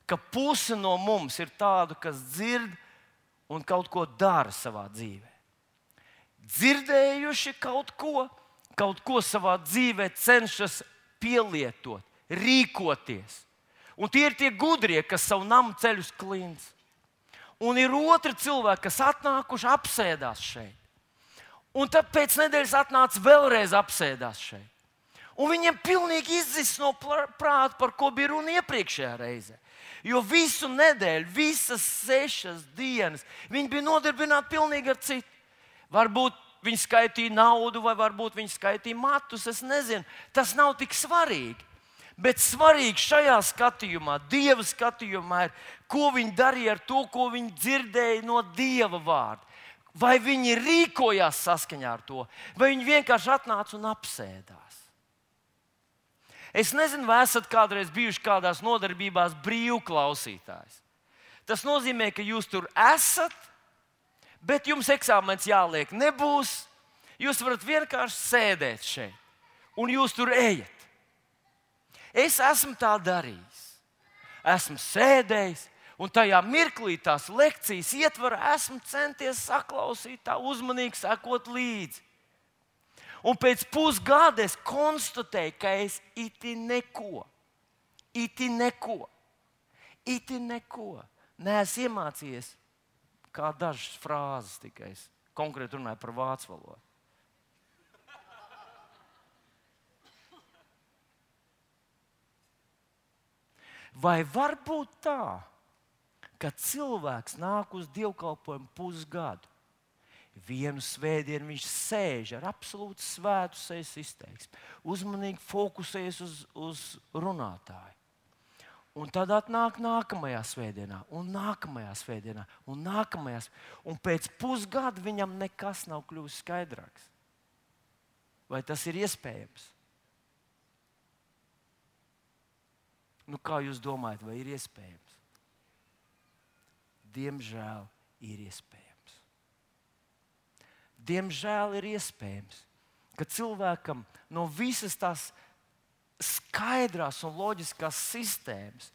Speaker 1: ka puse no mums ir tādu, kas dzird un kaut ko dara savā dzīvē. Dzirdējuši kaut ko, kaut ko savā dzīvē cenšas pielietot, rīkoties. Un tie ir tie gudrie, kas savu namu ceļ uz klints. Un ir otri cilvēki, kas atnākuši apsēdās šeit. Un tad pēc nedēļas atnāca vēlreiz apsēdās šeit. Un viņiem pilnīgi izzis no prāta, par ko bija runa iepriekšējā reizē. Jo visu nedēļu, visas sešas dienas viņi bija nodarbināti pilnīgi ar citu. Varbūt viņi skaitīja naudu, vai varbūt viņi skaitīja matus, es nezinu. Tas nav tik svarīgi. Bet svarīgi šajā skatījumā, Dieva skatījumā, ir, ko viņi darīja ar to, ko viņi dzirdēja no Dieva vārda. Vai viņi rīkojās saskaņā ar to, vai viņi vienkārši atnāca un apsēdās. Es nezinu, vai esat kādreiz bijuši kādās nodarbībās brīvklausītājs. Tas nozīmē, ka jūs tur esat, bet jums eksāmens jāliek nebūs. Jūs varat vienkārši sēdēt šeit, un jūs tur ejat. Es esmu tā darījis. Esmu sēdējis, un tajā mirklī tās lekcijas ietvarā esmu centies saklausīt, tā uzmanīgi sekot līdzi. Un pēc pusgada es konstatēju, ka es iti neko, iti neko, iti neko neesmu iemācījies, kā dažas frāzes tikai es konkrēti runāju par vācu valodu. Vai var būt tā, ka cilvēks nāk uz dievkalpojumu pusgadu? Vienu svētdienu viņš sēž ar absolūti svētu sejas izteiksmi, uzmanīgi fokusējas uz, uz runātāju. Un tad atnāk nākamajā svētdienā, un nākamajā svētdienā, un nākamajā. Un pēc pusgada viņam nekas nav kļuvis skaidrāks. Vai tas ir iespējams? Nu, kā jūs domājat, vai ir iespējams? Diemžēl ir iespējams. Diemžēl ir iespējams, ka cilvēkam no visas tās skaidrās un loģiskās sistēmas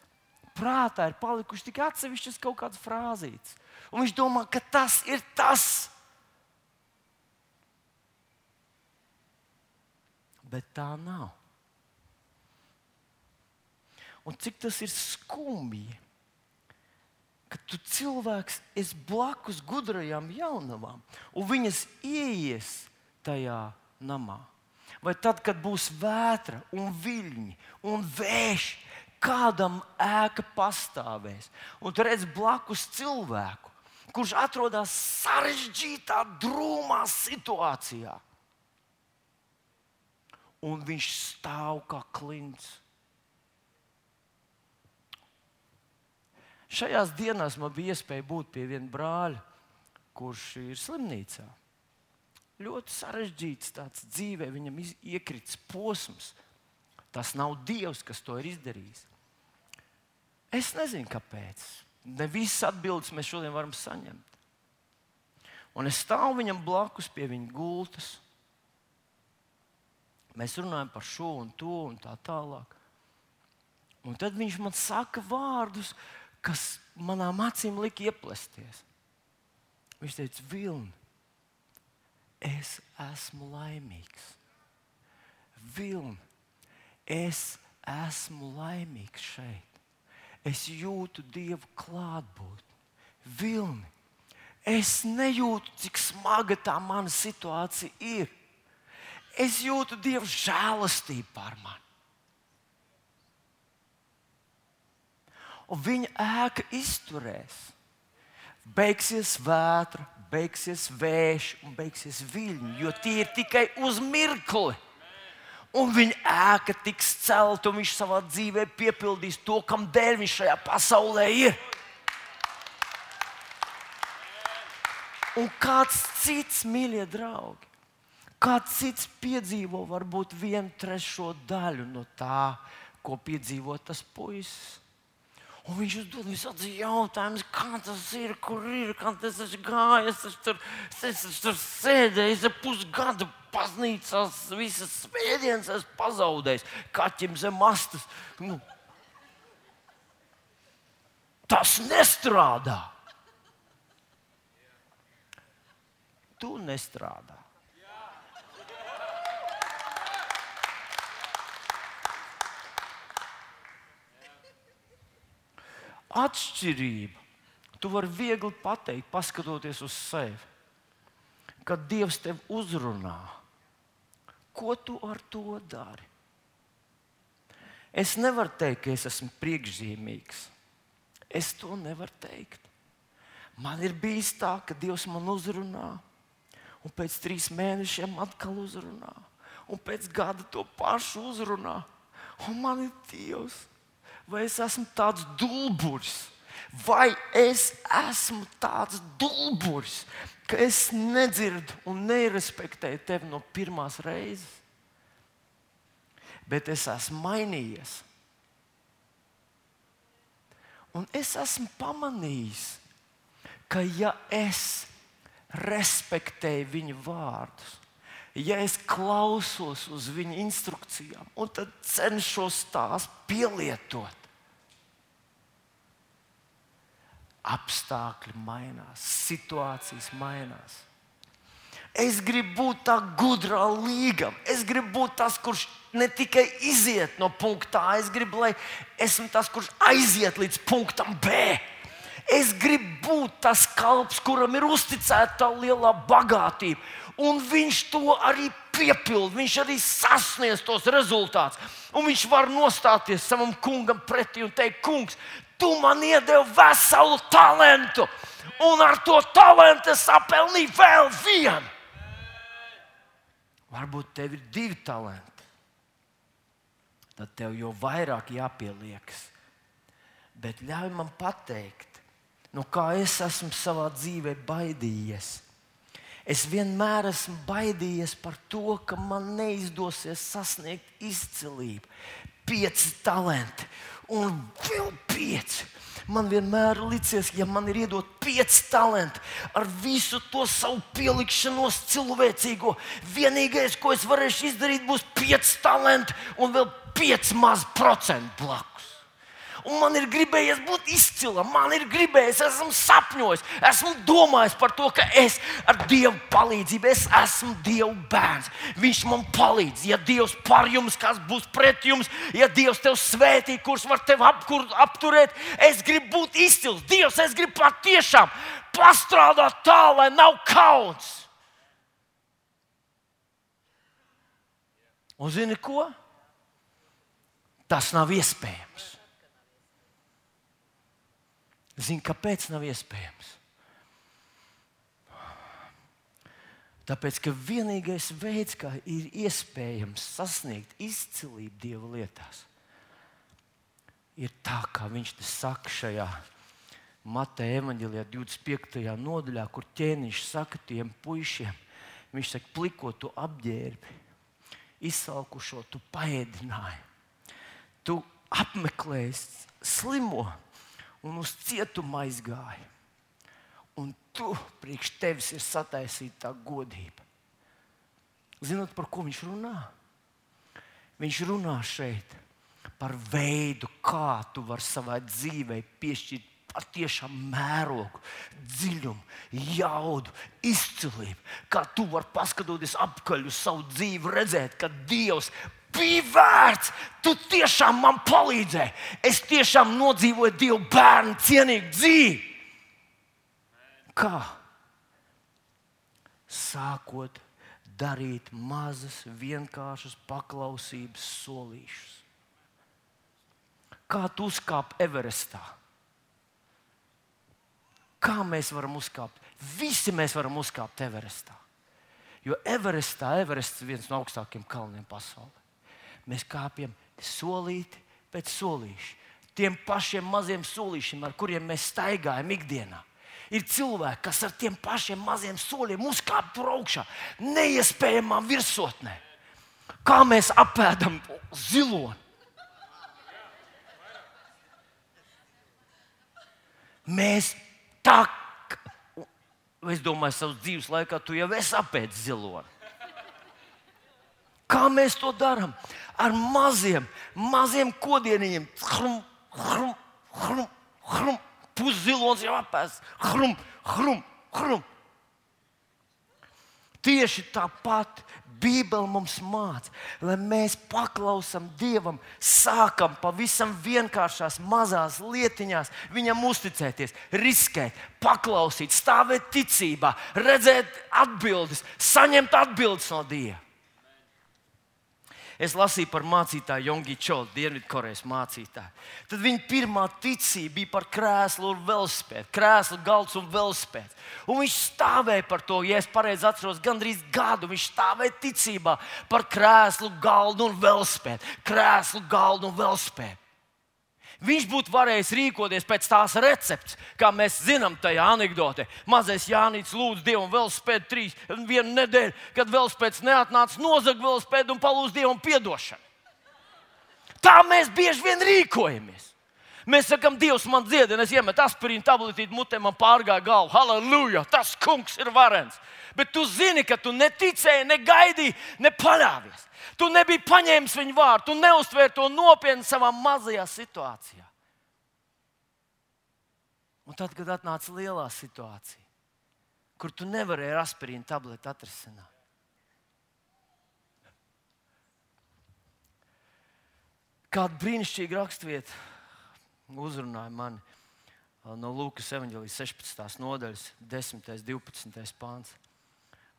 Speaker 1: prātā ir palikuši tikai atsevišķas kaut kādas frāzītes. Un viņš domā, ka tas ir tas. Bet tā nav. Un cik tas ir skumji, ka tu cilvēks esi blakus gudrajām jaunavām, un viņas ieies tajā namā. Vai tad, kad būs vētra un viļņi un vējš, kādam ēka pastāvēs. Un tu redz blakus cilvēku, kurš atrodas sarežģītā, drūmā situācijā. Un viņš stāv kā klints. Šajās dienās man bija iespēja būt pie viena brāļa, kurš ir slimnīcā. Ļoti sarežģīts tāds dzīvē, viņam iekrits posms. Tas nav Dievs, kas to ir izdarījis. Es nezinu, kāpēc. Ne visas atbildes mēs šodien varam saņemt. Un es stāvu viņam blakus pie viņa gultas. Mēs runājam par šo un to un tā tālāk. Un tad viņš man saka vārdus, kas manām acīm lika ieplesties. Viņš teica, Vilni, es esmu laimīgs. Vilni, es esmu laimīgs šeit. Es jūtu Dievu klātbūtni. Vilni, es nejūtu, cik smaga tā mana situācija ir. Es jūtu Dievu žēlastību par mani. Un viņa ēka izturēs. Beigsies vētra, beigsies vējš un beigsies viļņi, jo tie ir tikai uz mirkli. Un viņa ēka tiks celta, un viņš savā dzīvē piepildīs to, kam dēļ viņš šajā pasaulē ir. Un kāds cits, mīļie draugi, kāds cits piedzīvo varbūt vienu trešo daļu no tā, ko piedzīvo tas puisis. Un viņš uzdod visādi jautājumus, kā tas ir, kur ir, kā tas ir gājis. Es tur, es tur sēdēju, es pusgadu baznīcās, visas svētdienas esmu pazaudējis, kaķim zem astes. Nu, tas nestrādā. Tu nestrādā. Atšķirība. Tu vari viegli pateikt, paskatoties uz sevi, kad Dievs tevi uzrunā. Ko tu ar to dari? Es nevaru teikt, ka es esmu priekšzīmīgs. Es to nevaru teikt. Man ir bijis tā, ka Dievs man uzrunā, un pēc trīs mēnešiem atkal uzrunā, un pēc gada to pašu uzrunā. Un man ir Dievs. Vai es esmu tāds dulburis? Vai es esmu tāds dulburis, ka es nedzirdu un nerespektēju tevi no pirmās reizes? Bet es esmu mainījies. Un es esmu pamanījis, ka ja es respektēju viņa vārdus, ja es klausos uz viņa instrukcijām un tad cenšos tās pielietot, apstākļi mainās, situācijas mainās. Es gribu būt tā gudrā līgava. Es gribu būt tas, kurš ne tikai iziet no punkta A, es gribu, lai esmu tas, kurš aiziet līdz punktam B. Es gribu būt tas kalps, kuram ir uzticēta tā lielā bagātība. Un viņš to arī piepilda, viņš arī sasniedz tos rezultātus. Un viņš var nostāties savam kungam pretī un teikt, kungs, tu man iedevi veselu talantu. un ar to talantu sapelnīju vēl vienu. Varbūt tev ir divi talanti. Tad tev jau vairāk jāpieliekas. Bet ļauj man pateikt, nu kā es esmu savā dzīvē baidījies. Es vienmēr esmu baidījies par to, ka man neizdosies sasniegt izcilību. Pieci talanti un vēl pieci. Man vienmēr licies, ja man ir iedot pieci talanti ar visu to savu pielikšanos cilvēcīgo, vienīgais, ko es varēšu izdarīt, būs pieci talanti un vēl pieci maz procenti blakus. Un man ir gribējies būt izcilam, man ir gribējies, esmu sapņojis, esmu domājis par to, ka es ar Dievu palīdzību, es esmu Dieva bērns. Viņš man palīdz. Ja Dievs par jums, kas būs pret jums, ja Dievs tev svētī, kurš var tevi apkur, apturēt, es gribu būt izcils. Dievs, es gribu patiešām pastrādāt tā, lai nav kauns. Un zini ko? Tas nav iespējams. Zini, kāpēc nav iespējams? Tāpēc, ka vienīgais veids, kā ir iespējams sasniegt izcilību Dieva lietās, ir tā, kā viņš te saka šajā Mateja evaņģēlijā divdesmit piektajā nodaļā, kur ķēniņš saka tiem puišiem, viņš saka, pliko tu apģērbi, izsalkušo tu paēdināji, tu apmeklēji slimo, un uz cietumu aizgāja. Un tu, priekš tevis ir sataisīta tā godība. Zinot, par ko viņš runā? Viņš runā šeit par veidu, kā tu vari savai dzīvei piešķirt patiešām mērogu, dziļumu, jaudu, izcilību. Kā tu vari paskatoties apkaļ uz savu dzīvi, redzēt, ka Dievs bija vērts. Tu tiešām man palīdzēji. Es tiešām nodzīvoju Dievu bērnu cienīgu dzīvi. Kā? Sākot darīt mazas, vienkāršas paklausības solīšus. Kā tu uzkāp Everestā? Kā mēs varam uzkāpt? Visi mēs varam uzkāpt Everestā. Jo Everestā, Everests ir viens no augstākiem kalniem pasaulē. Mēs kāpjam solīti pēc solīša. Tiem pašiem maziem solīšiem, ar kuriem mēs staigājam ikdienā. Ir cilvēki, kas ar tiem pašiem maziem soļiem uzkāp tur augšā, neiespējamā virsotnē. Kā mēs apēdam ziloni. Mēs tā, es domāju, savas dzīves laikā tu jau esi apēdis ziloni. Kā mēs to darām? Ar maziem, maziem kodieniem. Hrum, hrum, hrum, hrum. Puszilons jau apēsts. Hrum, hrum, hrum. Tieši tāpat Bībele mums māca, lai mēs paklausam Dievam, sākam pavisam vienkāršās mazās lietiņās viņam uzticēties, riskēt, paklausīt, stāvēt ticībā, redzēt atbildes, saņemt atbildes no Dieva. Es lasīju par mācītāju Jongi Čolu, Dienvidkorejas mācītāju. Tad viņa pirmā ticība bija par krēslu un velospēdu. Krēslu, galds un velospēds. Un viņš stāvēja par to, ja es pareizi atceros, gandrīz gadu. Viņš stāvēja ticībā par krēslu, galdu un velospēdu. Krēslu, galdu un velospēdu. Viņš būtu varējis rīkoties pēc tās receptes, kā mēs zinām tajā anekdotē. Mazais Jānis lūdz Dievam velospēdu trīs, vienu nedēļu, kad velospēds neatnāca, nozag velospēdu un palūdz Dievam piedošanu. Tā mēs bieži vien rīkojamies. Mēs sakām, Dievs man dziedina, es iemetu aspirīnu tabletīti mutē, man pārgāja galva. Halleluja, tas kungs ir varens. Bet tu zini, ka tu neticēji, negaidīji, nepaļāvies. Tu nebija paņēmis viņu vārdu, tu neuztvēri to nopietni savā mazajā situācijā. Un tad, kad atnāca lielā situācija, kur tu nevarēji ar aspirīnu tableti atrisināt, kāda brīnišķīga rakstvieta uzrunāja mani no Lūkas evaņģēlijas sešpadsmitās nodaļas, desmitais, divpadsmitais pāns.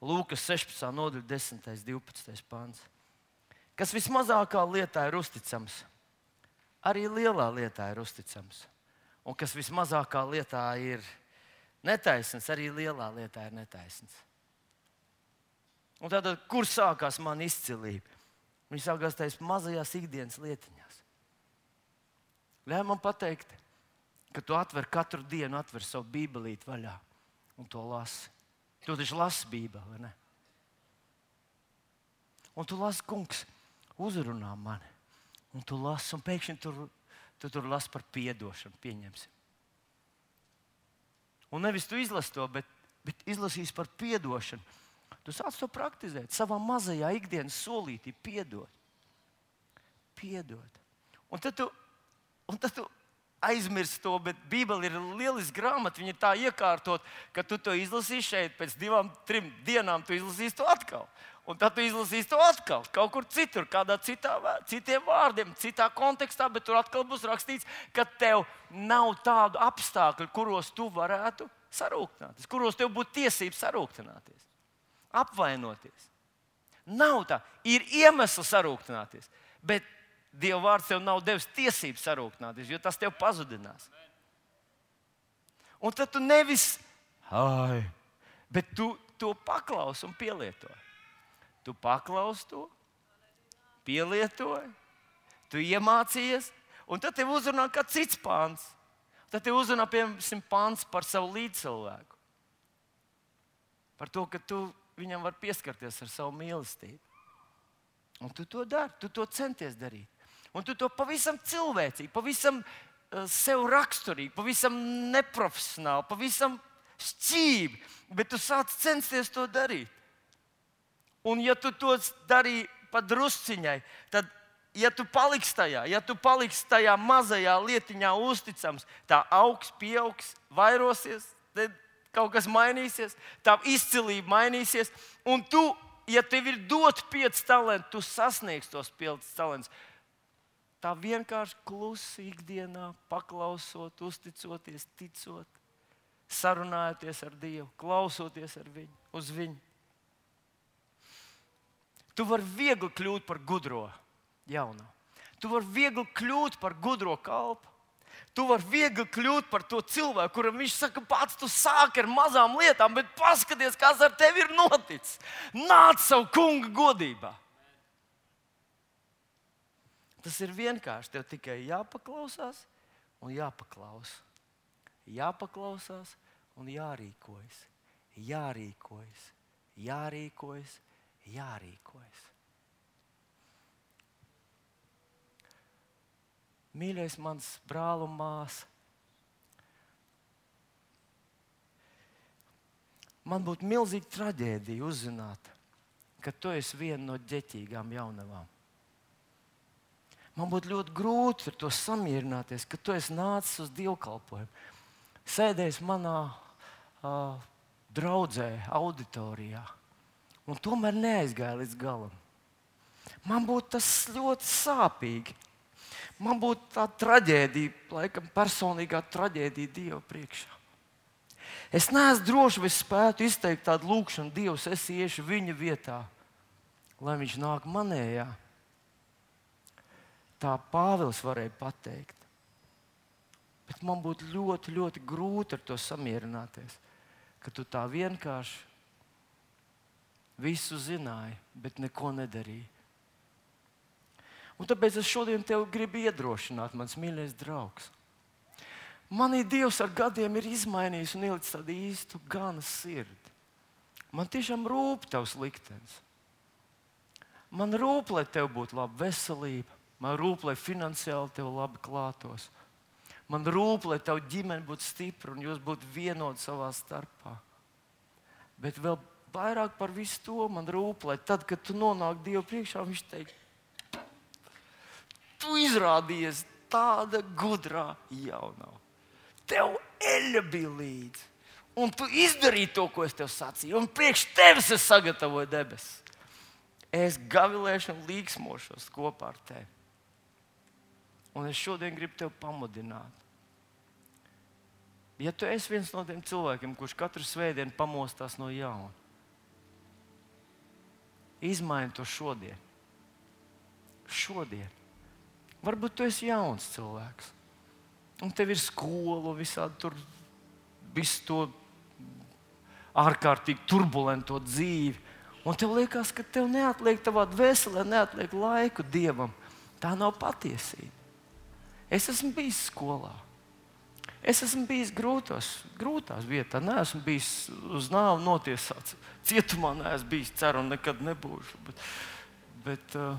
Speaker 1: Lūkas sešpadsmitā nodaļa, desmitais, divpadsmitais pāns. Kas vismazākā lietā ir uzticams, arī lielā lietā ir uzticams. Un kas vismazākā lietā ir Netaisns arī lielā lietā ir netaisns. Un tātad, kur sākās mana izcilība? Viņa sākās tajās mazajās ikdienas lietiņās. Ļauj man pateikt, ka tu atver katru dienu, atver savu bībelīti vaļā un to lasi. Tu taču lasi Bībeli, vai ne? Un tu lasi, kungs, uzrunā mani. Un tu lasi, un pēkšņi tur, tu tur lasi par piedošanu, pieņemsim. Un nevis tu izlasi to, bet, bet izlasīs par piedošanu. Tu sāc to praktizēt savā mazajā ikdienas solītī, piedot. Piedot. Un tad tu, un tad tu aizmirsti to, bet Bībele ir lieliska grāmata. Viņa ir tā iekārtot, ka tu to izlasīsi šeit, pēc divām, trim dienām tu izlasīsi to atkal. Un tad tu izlasīsi to atkal, kaut kur citur, kādā citā, citiem vārdiem, citā kontekstā, bet tur atkal būs rakstīts, ka tev nav tādu apstākļu, kuros tu varētu sarūktināties, kuros tev būtu tiesības sarūktināties, apvainoties. Nav tā. Ir iemesls sarūktināties, bet Dieva vārds tev nav devis tiesības sarūktināties, jo tas tev pazudinās. Un tad tu nevis, ai, bet tu to paklausi un pielietoji. Tu paklausi to, pielietoji, tu iemācījies, un tad tev uzrunā kāds cits pāns. Tad tev uzrunā, piemēram, pāns par savu līdzcilvēku. Par to, ka tu viņam var pieskarties ar savu mīlestību. Un tu to dari, tu to centies darīt. Un tu to pavisam cilvēcīgi, pavisam uh, sev raksturīgi, pavisam neprofesionāli, pavisam šķīvi, bet tu sāc censties to darīt. Un ja tu to darīji pa drusciņai, tad, ja tu paliksi tajā, ja tu paliksi tajā mazajā lietiņā uzticams, tā augs, pieaugs, vairosies, tad kaut kas mainīsies, tā izcilība mainīsies, un tu, ja tev ir dot pieci talenti, tu sasniegsi tos piecus talantus. Tā vienkārši klusi ikdienā, paklausot, uzticoties, ticot, sarunājoties ar Dievu, klausoties ar viņu, uz viņu. Tu vari viegli kļūt par gudro jauno. Tu vari viegli kļūt par gudro kalpu. Tu vari viegli kļūt par to cilvēku, kuram viņš saka, pats tu sāki ar mazām lietām, bet paskaties, kas ar tevi ir noticis. Nāc savu kunga godībā. Tas ir vienkārši. Tev tikai jāpaklausās un jāpaklaus. Jāpaklausās un jārīkojas. Jārīkojas. Jārīkojas. Jārīkojas. Mīļais mans brāl un māsa, man būtu milzīga traģēdija uzzināt, ka tu esi viena no ģeķīgām jaunavām. Man būtu ļoti grūti ar to samierināties, ka tu esi nācis uz dievkalpojumu, sēdējis manā uh, draudzē, auditorijā, un tomēr neaizgāja līdz galam. Man būtu tas ļoti sāpīgi. Man būtu tā traģēdija, laikam personīgā traģēdija Dieva priekšā. Es neesmu drošs, vai spētu izteikt tādu lūgšanu, Dievs, es iešu viņa vietā, lai viņš nāk manējā. Tā Pāvils varēja pateikt. Bet man būtu ļoti, ļoti grūti ar to samierināties, ka tu tā vienkārši visu zināji, bet neko nedarīji. Un tāpēc es šodien tev gribu iedrošināt, mans mīļais draugs. Manī Dievs ar gadiem ir izmainījis un ielicis tādu īstu gana sirdi. Man tiešām rūp tavs liktenis. Man rūp, lai tev būtu laba veselība. Man rūp, lai finansiāli tev labi klātos. Man rūp, lai tev ģimene būtu stipra un jūs būtu vienoti savā starpā. Bet vēl vairāk par visu to man rūp, lai tad, kad tu nonāk Dievu priekšā, viņš teikt, tu izrādījies tāda gudrā jaunā. Tev eļļa bija līdzi. Un tu izdarīji to, ko es tev sacīju. Un priekš tevis es sagatavoju debesis. Es gavilēšu un līksmošos kopā ar tevi. Un es šodien gribu tevi pamudināt. Ja tu esi viens no tiem cilvēkiem, kurš katru svētdienu pamostās no jauna, izmaini to šodien. Šodien. Varbūt tu esi jauns cilvēks. Un tev ir skola, visādi tur, visu to ārkārtīgi turbulento dzīvi. Un tev liekas, ka tev neatliek tavā dvēselē, neatliek laiku Dievam. Tā nav patiesība. Es esmu bijis skolā. Es esmu bijis grūtos, grūtās vietās. Nē, esmu bijis uz nāvi notiesāts. Cietumā neesmu bijis, ceru, un nekad nebūšu. Bet, bet uh,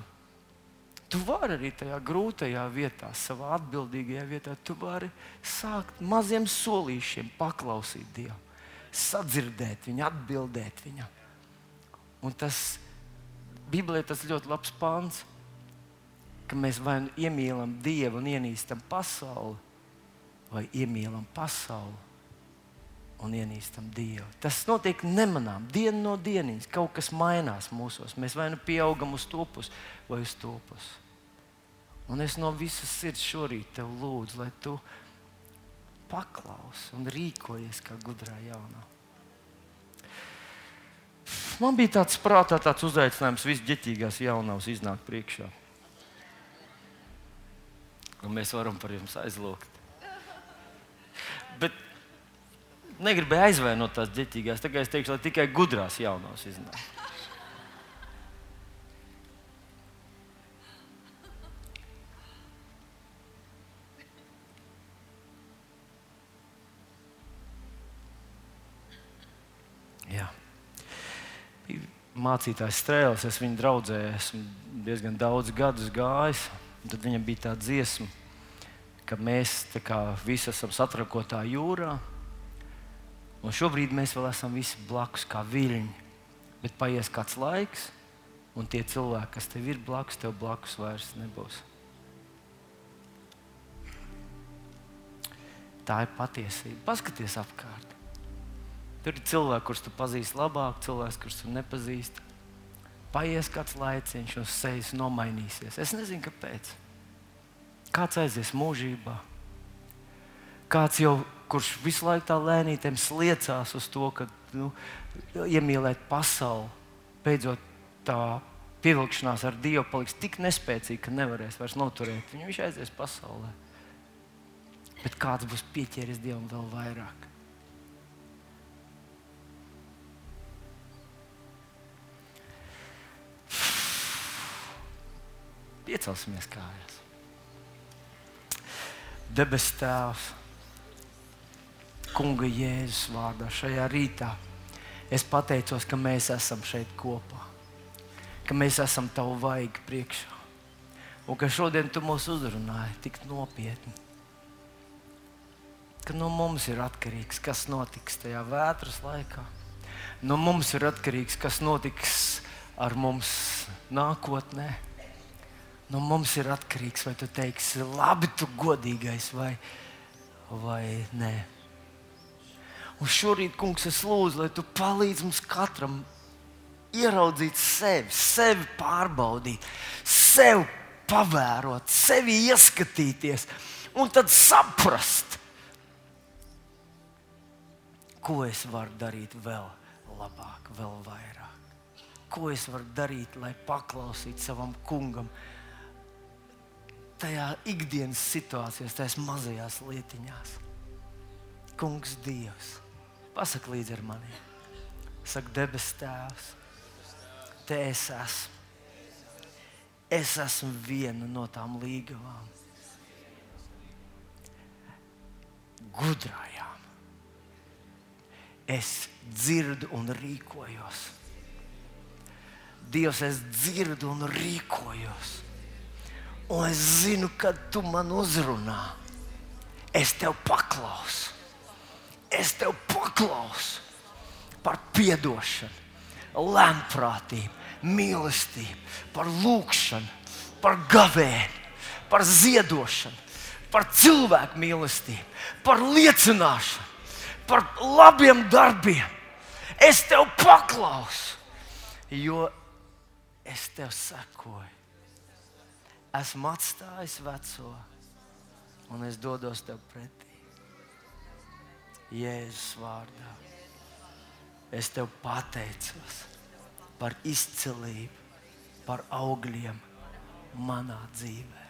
Speaker 1: tu vari arī tajā grūtajā vietā, savā atbildīgajā vietā, tu vari sākt maziem solīšiem paklausīt Dievu, sadzirdēt viņu, atbildēt viņam. Un tas Bībelē tas ļoti labs pants, ka mēs vai nu iemīlam Dievu un ienīstam pasauli, vai iemīlam pasauli un ienīstam Dievu. Tas notiek nemanām, dienu no dieniņas. Kaut kas mainās mūsos. Mēs vai nu pieaugam uz to pusi vai uz to pusi. Un es no visas sirds šorīt tev lūdzu, lai tu paklausi un rīkojies kā gudrā jaunā. Man bija tāds prātā tāds uzaicinājums visu ģeķīgās jaunavas iznākt priekšā. Un mēs varam par jums aizlūgt. Bet negribēju aizvainot tās ģeķīgās. Tagad es teikšu, lai tikai gudrās jaunavas iznāk. Jā. Mācītājs Strēlis, es viņu draudzē esmu diezgan daudz gadus gājis. Tad viņam bija tā dziesma, ka mēs tā kā visi esam satrakotā jūrā. Un šobrīd mēs vēl esam visi blakus kā viļņi. Bet paies kāds laiks, un tie cilvēki, kas tev ir blakus, tev blakus vairs nebūs. Tā ir patiesība. Paskaties apkārt. Tur ir cilvēki, kurus tu pazīsti labāk, cilvēks, kurus tu nepazīsti. Paies kāds laiciņš un sejas nomainīsies. Es nezinu, kāpēc. Kāds aizies mūžībā. Kāds jau, kurš visu laiku tā lēnītēm sliecās uz to, ka nu, iemīlēt pasauli, beidzot tā pievilkšanās ar Dievu paliks tik nespēcīga, ka nevarēs vairs noturēt. Viņu viņš aizies pasaulē. Bet kāds būs pieķēries Dievam vēl vairāk. Piecelsimies kājās. Debes Tēvs, Kunga Jēzus vārdā šajā rītā es pateicos, ka mēs esam šeit kopā, ka mēs esam Tavu vaigu priekšā un ka šodien Tu mūs uzrunāji tik nopietni, ka no mums ir atkarīgs, kas notiks tajā vētras laikā. No mums ir atkarīgs, kas notiks ar mums nākotnē. No mums ir atkarīgs, vai Tu teiksi, labi, Tu godīgais, vai, vai nē. Un šorīt, Kungs, es lūdzu, lai Tu palīdz mums katram ieraudzīt sevi, sevi pārbaudīt, sevi pavērot, sevi ieskatīties un tad saprast, ko es varu darīt vēl labāk, vēl vairāk. Ko es varu darīt, lai paklausītu savam Kungam tajā ikdienas situācijās, tajās mazajās lietiņās. Kungs Dievs, pasaka līdzi ar mani. Saka, debes Tēvs, Te es esmu. Es esmu viena no tām līgavām. Gudrajām. Es dzirdu un rīkojos. Dievs, es dzirdu un rīkojos. Un es zinu, kad Tu man uzrunā. Es Tev paklausu. Es Tev paklausu par piedošanu, lēnprātību, mīlestību, par lūgšanu, par gavēni, par ziedošanu, par cilvēku mīlestību, par liecināšanu, par labiem darbiem. Es Tev paklausu, jo es Tev sekoju. Esmu atstājis veco un es dodos Tev pretī. Jēzus vārdā. Es Tev pateicos par izcilību, par augļiem manā dzīvē.